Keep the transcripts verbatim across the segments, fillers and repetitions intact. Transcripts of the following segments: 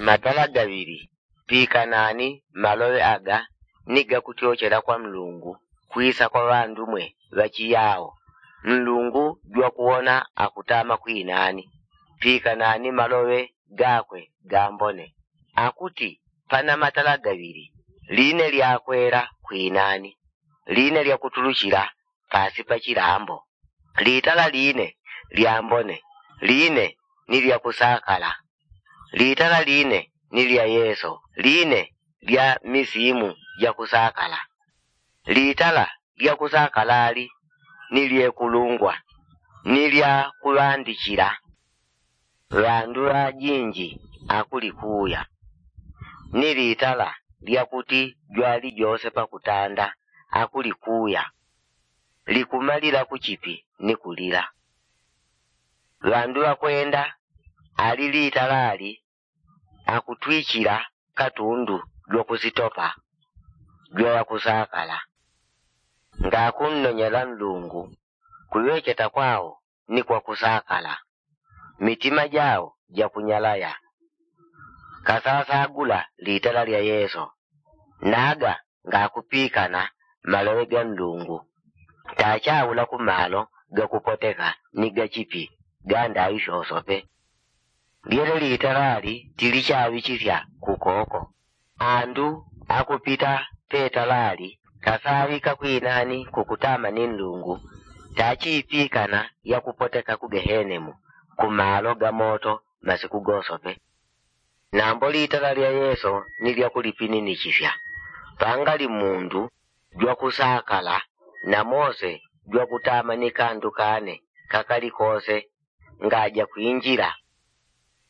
Matala gaŵili pikanani maloŵe aga ni gakutyochela kwa nlungu kwisa kwa ŵandu mwe ŵachiyao. Nlungu jwakuwona akutama kwinani pikanani maloŵe gakwe gambone. Akuti pana matala gaŵili line lyakwela kwinani line lyakutuluchila pasi pa chilambo. Litala line lyambone line ni lyakusakala. Litala line ni lya yeso line lya misimu jakusakala. Litala lyakusakalali ni lyekulungwa ni lyakuŵandichila. Ŵandu ŵajinji akulikuya ni litala lyakuti jwali jose pakutanda akulikuya. Likumalila kuchipi ni kulila. Ŵandu ŵakwenda ali litalali akutwichila katundu jwakusitopa jwaŵakusakala. Ngakunnonyela nlungu kuŵecheta kwao ni kwakusakala. Mitima jao jakunyalaya. Kasasagula litala lya yeso naga ngakupikana maloŵe ga nlungu. Tachaula kumalo gakupoteka ni gachipi gandaŵi fyosope. Lyele litalali tilichaŵichisya kukoko. Andu akupita petalali kasaŵika kwinani kukutama ni nlungu. Tachipikana yakupoteka ku gehenemu kumalo ga moto masiku gosope. Nambo litala lya yeso ni lyakulipininichisya. Pangali mundu jwakusakala na mose jwakutama ni kandu kane kakali kose ngajakwinjila.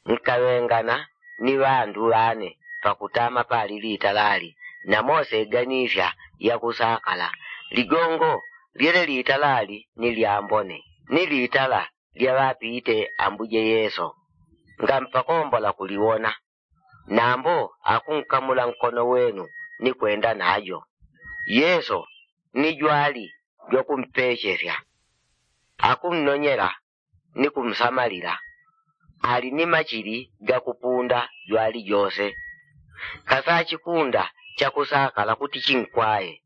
Nkaŵengana ni ŵandu ŵane pakutama pali litalali na mose ganisya yakusakala. Ligongo lyele litalali ni lyambone ni litala lyaŵapite ambuje yeso. Ngampakombola kuliwona. Nambo akunkamula nkono wenu ni kwenda najo. Yeso ni jwali jwakumpechesya. Akunnonyela ni kumsamalila. Ali ni machili gakupunda jwali jose. Kasachikunda chakusakala kuti chinkwaye.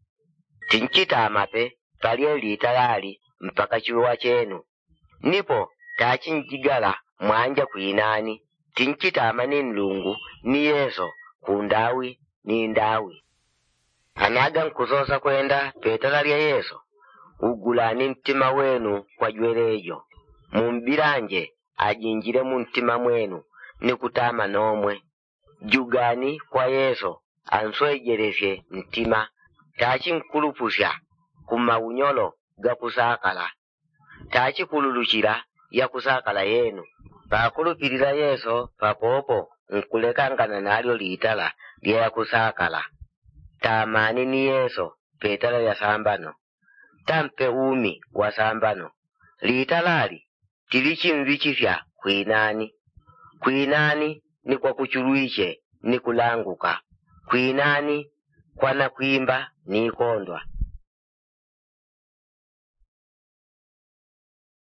Tinchitamape palye litalali mpaka chiŵeŵa chenu. Nipo tachinjigala mwanja kwinani tinchitama ni nlungu ni yeso kundawi ni ndawi. Anaga nkusosa kwenda petala lya yeso. Ugulani ntima wenu kwa jwelejo. Mumbilanje ajinjile muntima mwenu ni kutama nomwe. Jugani kwa yeso answejelesye ntima. Tachinkulupusya kumaunyolo gakusakala. Tachikululuchila yakusakala yenu. Pakulupilila yeso papopo nkulekangana nalyo litala lya yakusakala. Tamani ni yeso petala lya sambano. Tampe umi wa sambano. Litalali tilichimŵichisya kwinani. Kwinani ni kwakuchulwiche ni kulanguka. Kwinani kwanakwimba ni ikondwa.